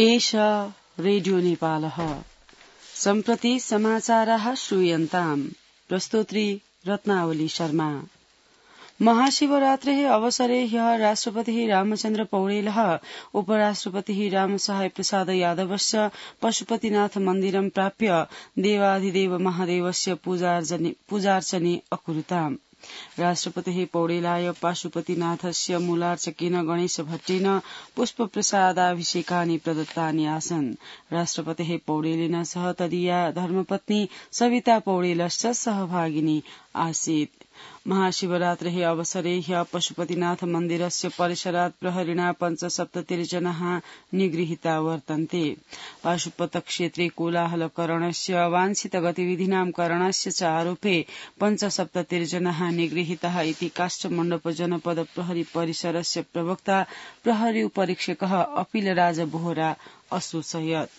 एष रेडियो नेपालः सम्प्रति समाचाराः श्रूयन्ताम् प्रस्तोत्री रत्नावली शर्मा। महाशिवरात्रेः अवसरे ह्यः राष्ट्रपतिः रामचन्द्र पौडेलः उपराष्ट्रपतिः रामसहाय प्रसाद यादवश्च पशुपतिनाथ मन्दिरं प्राप्य देवाधिदेव महादेवस्य पूजार्चने अकुरुताम्। राष्ट्रपतिः पौडेलाय पाशुपतिनाथस्य मूलार्चकेन गणेश भट्टेन पुष्पप्रसादाभिषेकानि प्रदत्तानि आसन्। राष्ट्रपतिः पौडेलेन सह तदीया धर्मपत्नी सविता पौडेलश्च सहभागिनी आसीत्। महाशिवरात्रेः अवसरे ह्यः पशुपतिनाथ मन्दिरस्य परिसरात् प्रहरिणा 75 जनाः निगृहीता वर्तन्ते। पाशुपतक्षेत्रे कोलाहलकरणस्य अवांछित गतिविधीनां करणस्य च आरोपे 75 जनाः निगृहीताः इति काष्ठमण्डप जनपद प्रहरी परिसरस्य प्रवक्ता प्रहरी उपरीक्षकः अपिलराज बोहरा असूचयत्।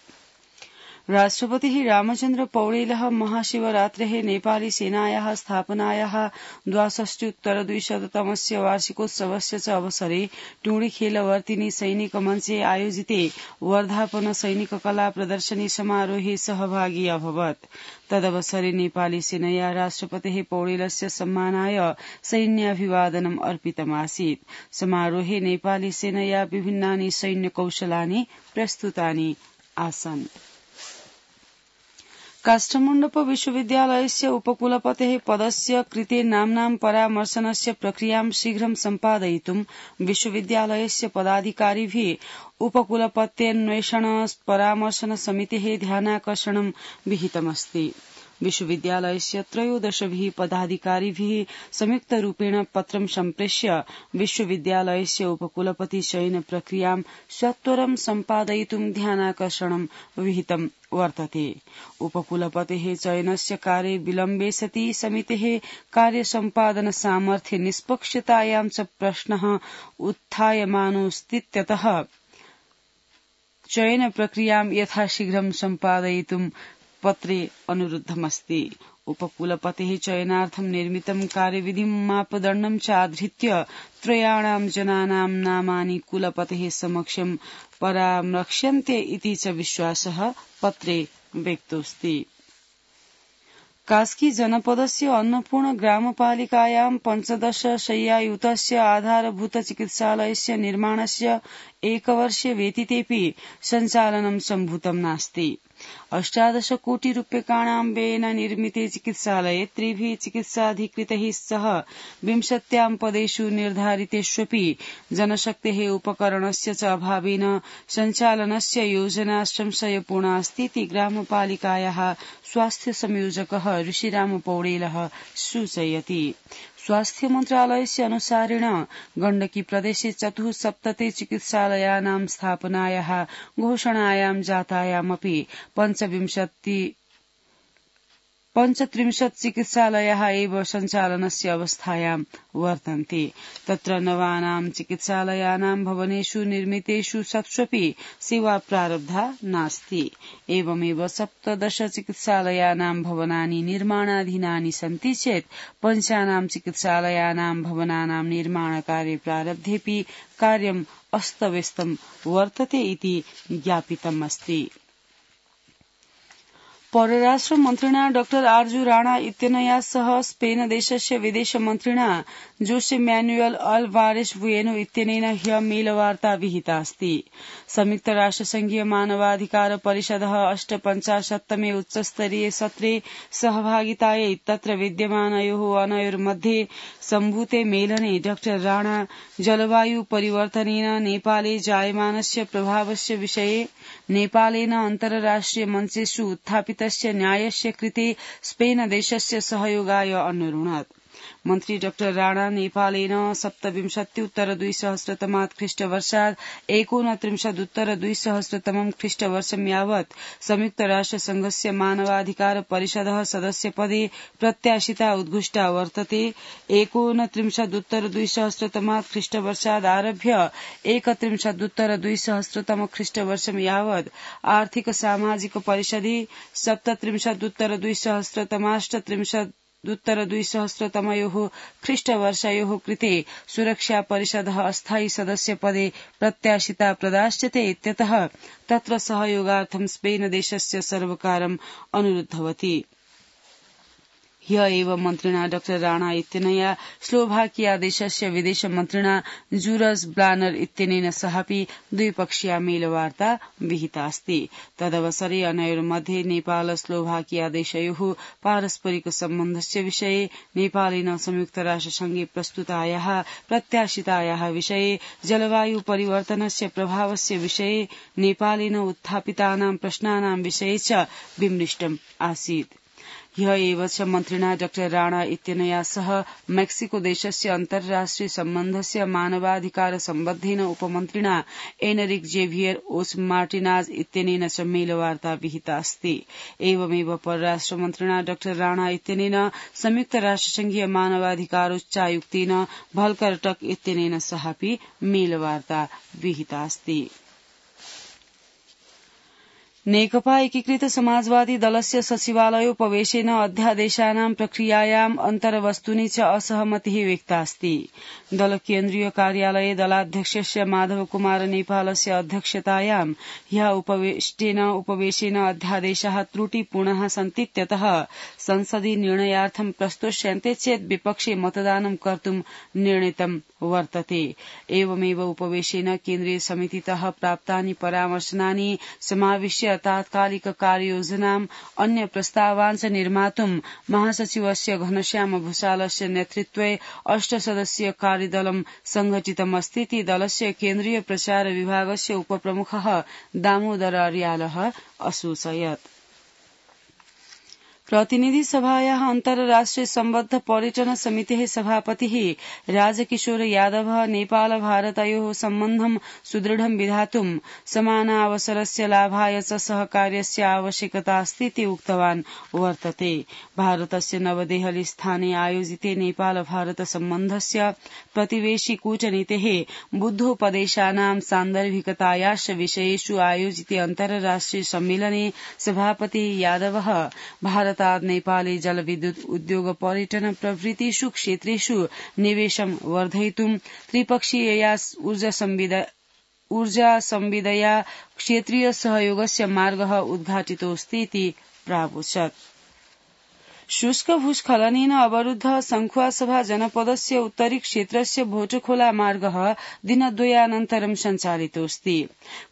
राष्ट्रपतिः रामचन्द्र पौडेलः महाशिवरात्रेः नेपाली सेनायाः स्थापनायाः 62उत्तर200तमस्य वार्षिकोत्सवस्य च अवसरे टुंडीखेलवर्तिनी सैनिक मञ्चे आयोजिते वर्धापन सैनिक कला प्रदर्शनी समारोहे सहभागी अभवत्। तदवसरे नेपाली सेनया राष्ट्रपतिः पौडेलस्य सम्मानाय सैन्याभिवादनम् अर्पितमासीत्। समारोहे नेपाली सेनया विभिन्नानि सैन्य कौशलानि प्रस्तुतानि आसन्। काष्ठमण्डप विश्वविद्यालयस्य उपकुलपतेः पदस्य कृते नाम्नां परामर्शनस्य प्रक्रियां शीघ्रं सम्पादयितुं विश्वविद्यालयस्य पदाधिकारिभिः उपकुलपत्यन्वेषण परामर्शन समितेः ध्यानाकर्षणं विहितमस्ति। विश्वविद्यालयस्य 13 पदाधिकारिभिः संयुक्तरूपेण पत्रं सम्प्रेष्य विश्वविद्यालयस्य उपकुलपति चयन प्रक्रियां सत्वरं सम्पादयितुं ध्यानाकर्षणं विहितं वर्तते। उपकुलपतेः चयनस्य कार्ये विलम्बे सति समितेः कार्यसम्पादन सामर्थ्य निष्पक्षतायां च प्रश्नः उत्थायमानोऽस्तीत्यतः चयन प्रक्रियां यथाशीघ्रं सम्पादयितुं पत्रे अनुरुद्धमस्ति। उपकुलपतेः चयनार्थं निर्मितं कार्यविधिं मापदण्डं चाधृत्य 3 जनानां नामानि कुलपतेः समक्षं परामर्क्ष्यन्ते इति च विश्वासः पत्रे व्यक्तोऽस्ति। कास्की जनपदस्य अन्नपूर्ण ग्रामपालिकायां 15 शय्यायुतस्य आधारभूत चिकित्सालयस्य निर्माणस्य 1 वर्षे व्यतीतेऽपि सञ्चालनं सम्भूतं नास्ति। 18 कोटि रूप्यकाणां व्ययेन निर्मिते चिकित्सालये 3 चिकित्साधिकृतैः सह 20 पदेषु निर्धारितेष्वपि जनशक्तेः उपकरणस्य च अभावेन सञ्चालनस्य योजना संशयपूर्णा अस्ति इति ग्रामपालिकायाः स्वास्थ्य संयोजकः ऋषिराम पौडेलः सूचयति। स्वास्थ्य मन्त्रालयस्य अनुसारेण गण्डकी प्रदेशे 74 चिकित्सालयानां स्थापनायाः घोषणायां जातायामपि 35 चिकित्सालयाः एव सञ्चालनस्य अवस्थायां वर्तन्ते। तत्र नवानां चिकित्सालयानां भवनेषु निर्मितेषु सत्स्वपि सेवा प्रारब्धा नास्ति। एवमेव 17 चिकित्सालयानां भवनानि निर्माणाधीनानि सन्ति चेत् 5 चिकित्सालयानां भवनानां निर्माणकार्ये प्रारब्धेऽपि कार्यम् अस्तव्यस्तं वर्तते इति ज्ञापितमस्ति। परराष्ट्र मन्त्रिणा डॉ आर्जू राणा इत्यनया सह स्पेन देशस्य विदेश मन्त्रिणा जोसे मैनुएल अल्वारेस बुएनो इत्यनेन ह्यः मेलवार्ता विहिता अस्ति। संयुक्त राष्ट्रसंघीय मानवाधिकार परिषदः 58तमे उच्चस्तरीय सत्रे सहभागितायै तत्र विद्यमानयोः अनयोर्मध्ये सम्भूते मेलने डॉ राणा जलवायु परिवर्तनेन नेपाले जायमानस्य प्रभावस्य विषये नेपालेन अन्तर्राष्ट्रिय मञ्चेषु उत्थापितस्य न्यायस्य कृते स्पेन देशस्य सहयोगाय अन्वरुणत्। मन्त्री डॉ राणा नेपालेन 27-उत्तर-2000 ख्रीष्टवर्षात् 29-उत्तर-2000 ख्रीष्टवर्षं यावत् संयुक्त राष्ट्रसंघस्य मानवाधिकार परिषदः सदस्यपदे प्रत्याशिता उद्घुष्टा वर्तते। 29-उत्तर-2000 ख्रीष्टवर्षात् आरभ्य 31-उत्तर-2000 ख्रीष्टवर्षं यावत् आर्थिक सामाजिक परिषदि 37-उत्तर-2000 2020 ख्रीष्टवर्षयोः कृते सुरक्षा परिषदः अस्थायी सदस्यपदे प्रत्याशिता प्रदास्यते इत्यतः तत्र सहयोगार्थं स्पेन देशस्य सर्वकारम् अनुरुद्धवती। ह्य एव मन्त्रिणा डॉ राणा इत्यनया स्लोभाकिया देशस्य विदेश मन्त्रिणा जुरज ब्लानर इत्यनेन सहापि द्विपक्षीया मेलवार्ता विहितास्ति। तदवसरे अनयोर्मध्ये नेपाल स्लोभाकिया देशयोः पारस्परिक सम्बन्धस्य विषये, नेपालेन संयुक्तराष्ट्रसंघे प्रस्तुतायाः प्रत्याशितायाः विषये, जलवायु परिवर्तनस्य प्रभावस्य विषये, नेपालेन उत्थापितानां प्रश्नानां विषये च विमृष्टम् आसीत्। ह्य एव च मन्त्रिणा डॉ राणा इत्यनया सह मेक्सिको देशस्य अन्तर्राष्ट्रिय सम्बन्धस्य मानवाधिकार सम्बद्धेन उपमन्त्रिणा एनरिक जेभियर ओस मार्टिनाज इत्यनेन च मेलवार्ता विहितास्ति। एवमेव परराष्ट्र मन्त्रिणा डॉ राणा इत्यनेन संयुक्त राष्ट्रसंघीय मानवाधिकारोच्चायुक्तेन भल्कर टक इत्यनेन सहापि मेलवार्ता विहितास्ति। नेकपा एकीकृत समाजवादी दलस्य सचिवालयोपवेशेन अध्यादेशानां प्रक्रियायाम् अन्तर्वस्तुनि च असहमतिः व्यक्तास्ति। दल केन्द्रीय कार्यालये दलाध्यक्षस्य माधव कुमार नेपालस्य अध्यक्षतायां ह्यः उपवेशेन अध्यादेशाः त्रुटिपूर्णाः सन्तीत्यतः संसदि निर्णयार्थं प्रस्तोष्यन्ते चेत् विपक्षे मतदानं कर्तुं निर्णीतं वर्तते। एवमेव उपवेशेन केन्द्रीय समितितः प्राप्तानि परामर्शनानि समाविश्य तात्कालिक कार्ययोजनाम् अन्य प्रस्तावान् च निर्मातुं महासचिवस्य घनश्याम भूषालस्य नेतृत्वे 8 सदस्यीय कार्यदलं संघटितमस्तीति दलस्य केन्द्रीय प्रचार विभागस्य उपप्रमुखः दामोदर अर्यालः असूचयत्। प्रतिनिधि सभायाः अन्तर्राष्ट्रिय सम्बद्ध पर्यटन समितेः सभापतिः राजकिशोर यादवः नेपाल भारतयोः सम्बन्धं सुदृढं विधातुं समानावसरस्य लाभाय च सहकार्यस्य आवश्यकता अस्तीति उक्तवान् वर्तते। भारतस्य नवदेहली स्थाने आयोजिते नेपाल भारत सम्बन्धस्य प्रतिवेशि कूटनीतेः बुद्धोपदेशानां सान्दर्भिकतायाश्च विषयेषु आयोजिते अन्तर्राष्ट्रिय सम्मेलने सभापतिः यादवः भारतात् नेपाले जलविद्युत उद्योग पर्यटन प्रभृतिषु क्षेत्रेषु निवेशं वर्धयितुं त्रिपक्षीयया ऊर्जा संविदया क्षेत्रीय सहयोगस्य मार्गः उद्घाटितोऽस्तीति प्रावोचत्। शुष्क भूस्खलनेन अवरुद्धः संखुवासभा जनपदस्य उत्तरी क्षेत्रस्य भोटखोला मार्गः दिनद्वयानन्तरं सञ्चालितोऽस्ति।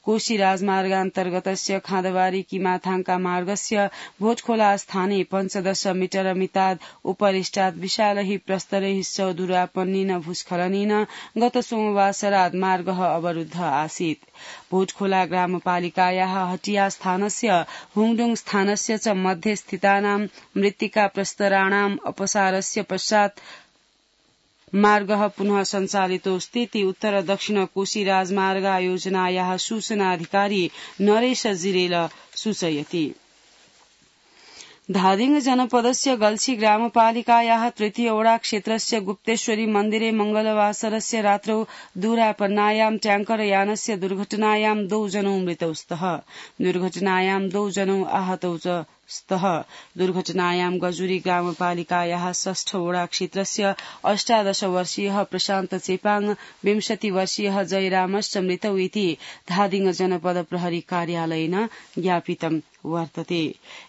कोशी राजमार्गान्तर्गतस्य खाँदबारी किमाथाङका मार्गस्य भोटखोला स्थाने 15 मीटर मिताद् उपरिष्टात् विशालैः प्रस्तरैः च दुरापन्नेन भूस्खलनेन गत सोमवासरात् मार्गः अवरुद्ध आसीत्। भोटखोला ग्रामपालिकायाः हटिया स्थानस्य हुङडुङ स्थानस्य च मध्ये स्थितानां मृत्तिका प्रस्तराणाम् अपसारस्य पश्चात् मार्गः पुनः सञ्चालितोऽस्तीति उत्तर दक्षिण कोशी राजमार्गयोजनायाः सूचनाधिकारी नरेश जिरेल सूचयति। धादिङ जनपदस्य गल्छी ग्रामपालिकायाः तृतीय वडा क्षेत्रस्य गुप्तेश्वरी मन्दिरे मंगलवासरस्य रात्रौ दुरापन्नायां ट्याङ्कर यानस्य दुर्घटनायां 2 जनौ मृतौ स्तः। दुर्घटनायां 2 जनौ आहतौ च स्तः। दुर्घटनायां गजुरी ग्रामपालिकायाः 6 वडा क्षेत्रस्य 18 वर्षीयः प्रशान्त चेपाङ, 20 वर्षीयः जयरामश्च मृतौ इति धादिङ जनपद प्रहरी कार्यालयेन ज्ञापितं वर्तते।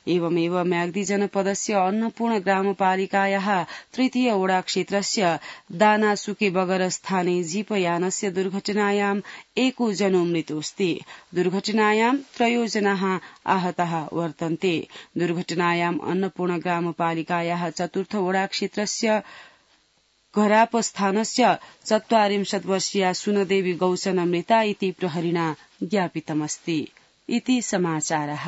एवमेव म्याग्दी जनपदस्य अन्नपूर्ण ग्रामपालिकायाः तृतीय वडा क्षेत्रस्य दानासुके बगर स्थाने जीपयानस्य दुर्घटनायां 1 जनो मृतोऽस्ति। दुर्घटनायां 3 जनाः आहताः वर्तन्ते। दुर्घटनायां अन्नपूर्ण ग्रामपालिकायाः चतुर्थ वडा क्षेत्रस्य घराप स्थानस्य 40 वर्षीया सुनदेवी गौचन मृता इति प्रहरिणा ज्ञापितमस्ति। इति समाचारः।